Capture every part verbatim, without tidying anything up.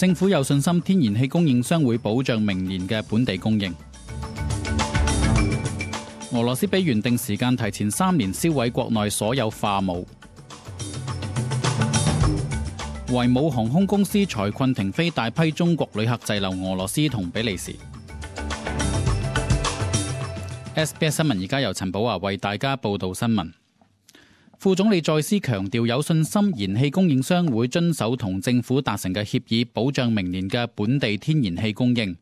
政府有信心天然氣供應商會保障明年嘅本地供應。俄羅斯比原定時間提前三年銷毀國內所有化武。維姆航空公司財困停飛大批中國旅客滯留俄羅斯同比利時。S B S 新聞而家由陳寶華為大家報道新聞。副總理再次強調有信心燃氣供應商會遵守同政府達成嘅協議，保障明年嘅本地天然氣供應。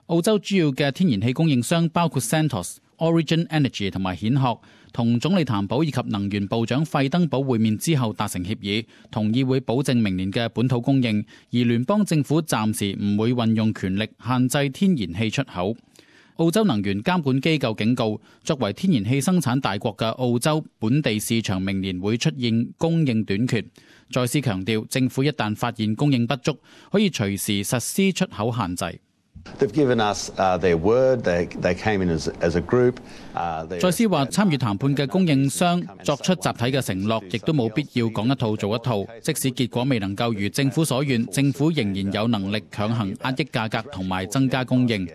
澳洲主要嘅天然氣供應商包括 Santos、Origin Energy 同埋蜆殼，同總理譚寶以及能源部長費登堡會面之後達成協議，同意會保證明年嘅本土供應，而聯邦政府暫時唔會運用權力限制天然氣出口。澳洲能源監管機構警告，作為天然氣生產大國嘅澳洲本地市場明年會出現供應短缺。再次強調，政府一旦發現供應不足，可以隨時實施出口限制。再斯話，參與談判嘅供應商作出集體嘅承諾，亦都冇必要講一套做一套。即使結果未能夠如政府所願，政府仍然有能力強行壓抑價格同埋增加供應。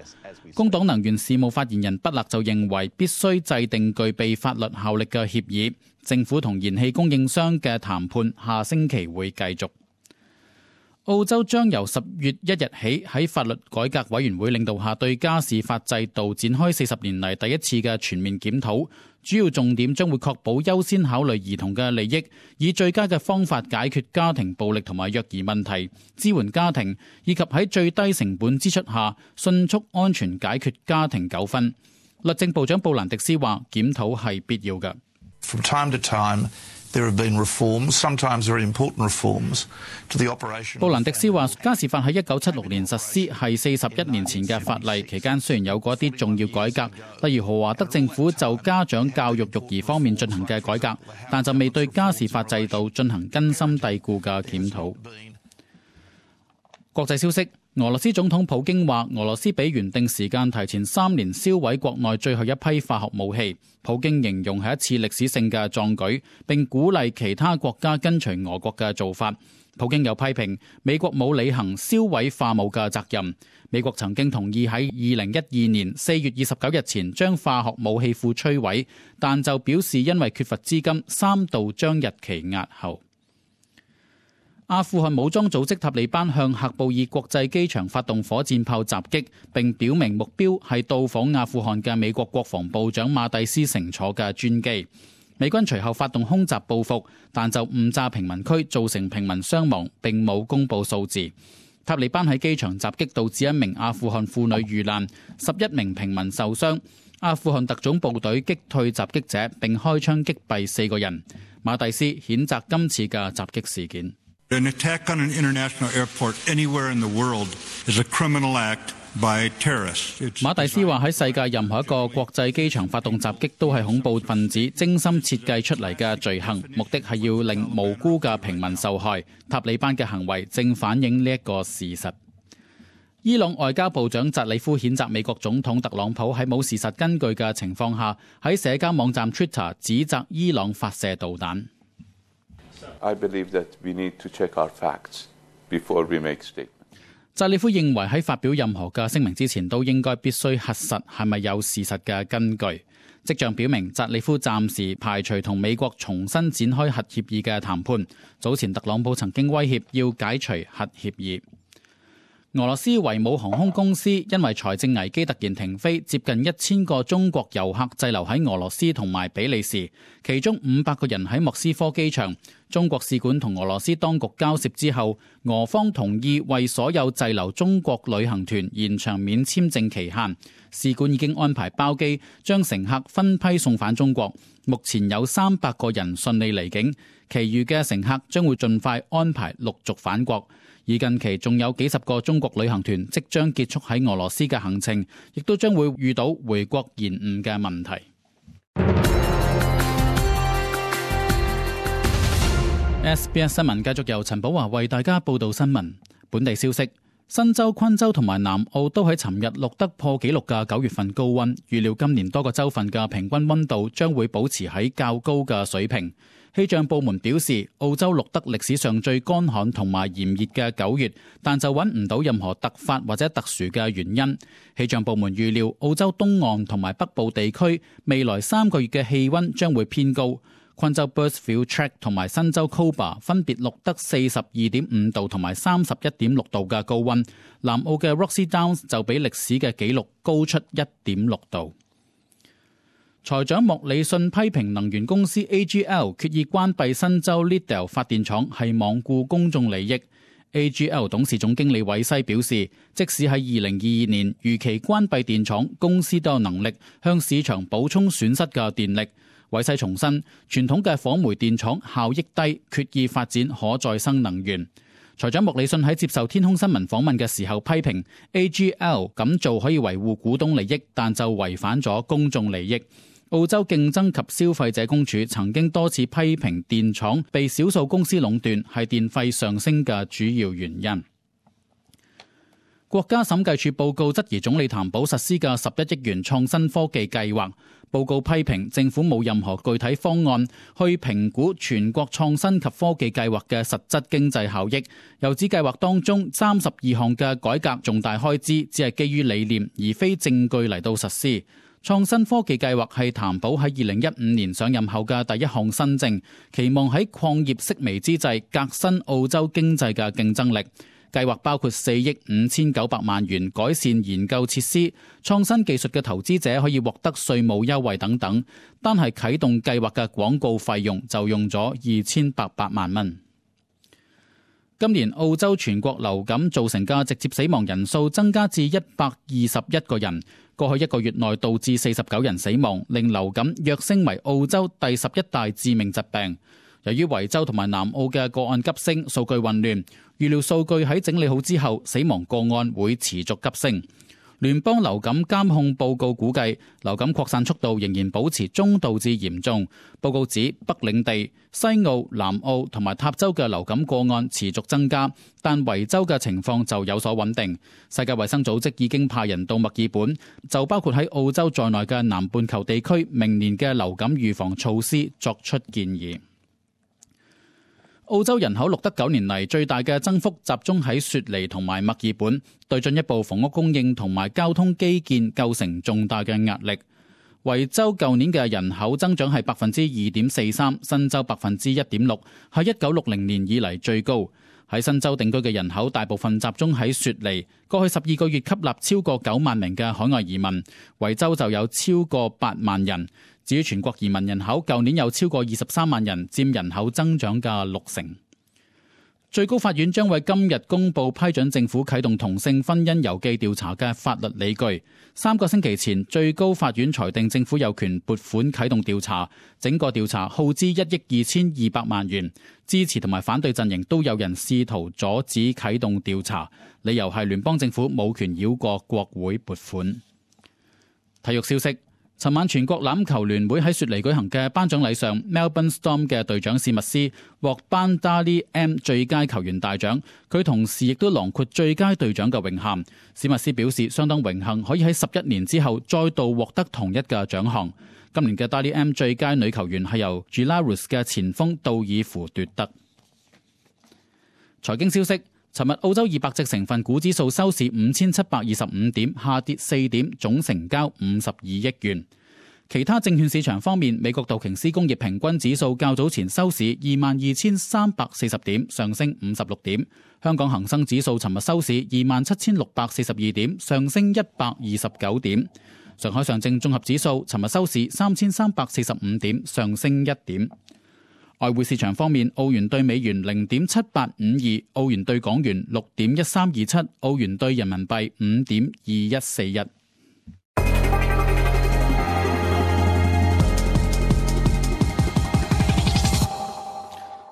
工黨能源事務發言人畢勒就認為，必須制定具備法律效力嘅協議。政府同燃氣供應商嘅談判下星期會繼續。澳洲將由十月一日起喺法律改革委員會領導下對家事法制度展開四十年嚟第一次嘅全面檢討，主要重點將會確保優先考慮兒童嘅利益，以最佳嘅方法解決家庭暴力同埋虐兒問題，支援家庭，以及喺最低成本支出下迅速安全解決家庭糾紛。律政部長布蘭迪斯話，檢討係必要嘅。From time to time, there have been reforms, sometimes very important reforms, to the operation. 布蘭迪斯話，家事法喺一九七六年實施，係四十一年前嘅法例，期間雖然有過一啲重要改革，例如豪華德政府就家長教育育兒方面進行嘅改革，但就未對家事法制度進行根深蒂固嘅檢討。國際消息，俄羅斯總統普京話，俄羅斯比原定時間提前三年銷毀國內最後一批化學武器。普京形容係一次歷史性嘅壯舉，並鼓勵其他國家跟隨俄國嘅做法。普京又批評美國冇履行銷毀化武嘅責任。美國曾經同意喺二零一二年四月二十九日前將化學武器庫摧毀，但就表示因為缺乏資金，三度將日期押後。阿富汗武裝組織塔利班向喀布爾國際機場發動火箭炮襲擊，並表明目標係到訪阿富汗嘅美國國防部長馬蒂斯乘坐嘅專機。美軍隨後發動空襲報復，但就誤炸平民區，造成平民傷亡，並冇公布數字。塔利班喺機場襲擊導致一名阿富汗婦女遇難，十一名平民受傷。阿富汗特種部隊擊退襲擊者，並開槍擊斃四個人。馬蒂斯譴責今次嘅襲擊事件。An attack on an international airport anywhere in the world is a criminal act by terrorists. 馬蒂斯話喺世界任何一個國際機場發動襲擊都係恐怖分子精心設計出嚟嘅罪行，目的係要令無辜嘅平民受害。塔利班嘅行為正反映呢一個事實。伊朗外交部長扎里夫譴責美國總統特朗普喺冇事實根據嘅情況下喺社交網站 Twitter 指責伊朗發射導彈。I believe that we need to check our facts before we make statements. 扎里夫認為喺發表任何嘅聲明之前，都應該必須核實係咪有事實嘅根據。跡象表明，扎里夫暫時排除同美國重新展開核協議嘅談判。早前特朗普曾經威脅要解除核協議。俄羅斯維姆航空公司因為財政危機突然停飛，接近一千個中國遊客滯留喺俄羅斯同埋比利時，其中五百個人喺莫斯科機場。中國使館同俄羅斯當局交涉之後，俄方同意為所有滯留中國旅行團延長免簽證期限。使館已經安排包機將乘客分批送返中國，目前有三百個人順利離境，其餘嘅乘客將會盡快安排陸續返國。而近期仲有幾十個中國旅行團即將結束喺俄羅斯嘅行程，亦都將會遇到回國延誤嘅問題。S B S 新聞繼續由陳寶華為大家報道新聞。本地消息，新州、昆州同埋南澳都喺尋日錄得破紀錄嘅九月份高溫，預料今年多個州份嘅平均溫度將會保持喺較高嘅水平。氣象部門表示，澳洲錄得歷史上最乾旱同埋炎熱嘅九月，但就揾唔到任何突發或者特殊嘅原因。氣象部門預料，澳洲東岸同埋北部地區未來三個月嘅氣溫將會偏高。昆州 Birdsville Track 同埋新州 Cobar 分別錄得四十二點五度同埋三十一點六度嘅高溫，南澳嘅 Roxy Downs 就比歷史嘅紀錄高出一點六度。財長莫里遜批評能源公司 A G L 決意關閉新州 Liddell 發電廠係罔顧公眾利益。A G L 董事總經理韋西表示，即使喺二零二二年如期關閉電廠，公司都有能力向市場補充損失嘅電力。韋西重申，傳統嘅火煤電廠效益低，決意發展可再生能源。財長莫里遜喺接受天空新聞訪問嘅時候批評 A G L 咁做可以維護股東利益，但就違反咗公眾利益。澳洲競爭及消費者公署曾經多次批評電廠被少數公司壟斷係電費上升嘅主要原因。國家審計署報告質疑總理譚寶實施嘅十一億元創新科技計劃。報告批評政府冇任何具體方案去評估全國創新及科技計劃嘅實質經濟效益，又指計劃當中三十二項嘅改革重大開支只係基於理念而非證據嚟到實施。創新科技計劃係譚寶喺二零一五年上任後嘅第一項新政，期望喺礦業式微之際革新澳洲經濟嘅競爭力。計劃包括四億五千九百萬元改善研究設施、創新技術嘅投資者可以獲得稅務優惠等等。單係啟動計劃嘅廣告費用就用咗二千八百萬蚊。今年澳洲全國流感造成嘅直接死亡人數增加至一百二十一個人，過去一個月內導致四十九人死亡，令流感躍升為澳洲第十一大致命疾病。由於維州同埋南澳嘅個案急升，數據混亂，預料數據喺整理好之後，死亡個案會持續急升。聯邦流感監控報告估計，流感擴散速度仍然保持中度至嚴重。報告指北領地、西澳、南澳同埋塔州嘅流感個案持續增加，但維州嘅情況就有所穩定。世界衛生組織已經派人到墨爾本，就包括喺澳洲在內嘅南半球地區明年嘅流感預防措施作出建議。澳洲人口錄得九年嚟最大嘅增幅集中喺雪梨同埋墨爾本，對進一步房屋供應同埋交通基建構成重大嘅壓力。維州舊年嘅人口增長係百分之二點四三，新州百分之一點六，係一九六零年以嚟最高。喺新州定居嘅人口大部分集中喺雪梨，過去十二個月吸納超過九萬名嘅海外移民，維州就有超過八萬人。至於全國移民人口，舊年有超過二十三萬人，佔人口增長嘅六成。最高法院將為今日公布批准政府啟動同性婚姻郵寄調查嘅法律理據。三個星期前，最高法院裁定政府有權撥款啟動調查，整個調查耗資一億二千二百萬元。支持同埋反對陣營都有人試圖阻止啟動調查，理由係聯邦政府冇權繞過國會撥款。體育消息。尋晚全國欖球聯會喺雪梨舉行嘅頒獎禮上 ，Melbourne Storm 嘅隊長史密斯獲頒 Dally M 最佳球員大獎，佢同時亦都囊括最佳隊長嘅榮銜。史密斯表示相當榮幸可以喺十一年之後再度獲得同一嘅獎項。今年嘅 Dally M 最佳女球員係由 Belarus 嘅前鋒杜爾夫奪得。財經消息。尋日澳洲二百隻成分股指數收市五千七百二十五點，下跌四點，總成交五十二億元。其他證券市場方面，美國道瓊斯工業平均指數較早前收市二萬二千三百四十點，上升五十六點。香港恒生指數尋日收市二萬七千六百四十二點，上升一百二十九點。上海上證綜合指數尋日收市三千三百四十五點，上升一點。外匯市場方面，澳元兌美元零點七八五二，澳元兌港元六點一三二七，澳元兌人民幣五點二一四一。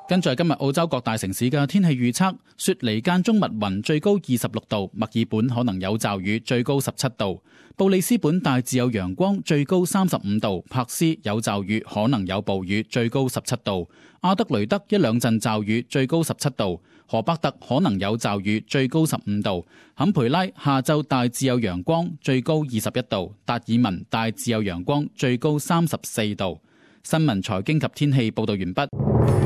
跟住係今日澳洲各大城市嘅天氣預測：雪梨間中密雲，最高二十六度；墨爾本可能有驟雨，最高十七度；布里斯本大致有陽光，最高三十五度；柏斯有驟雨，可能有暴雨，最高十七度；阿德雷德一兩陣驟雨，最高十七度；荷伯特可能有驟雨，最高十五度；坎培拉下晝大致有陽光，最高二十一度；達爾文大致有陽光，最高三十四度。新聞、財經及天氣報導完畢。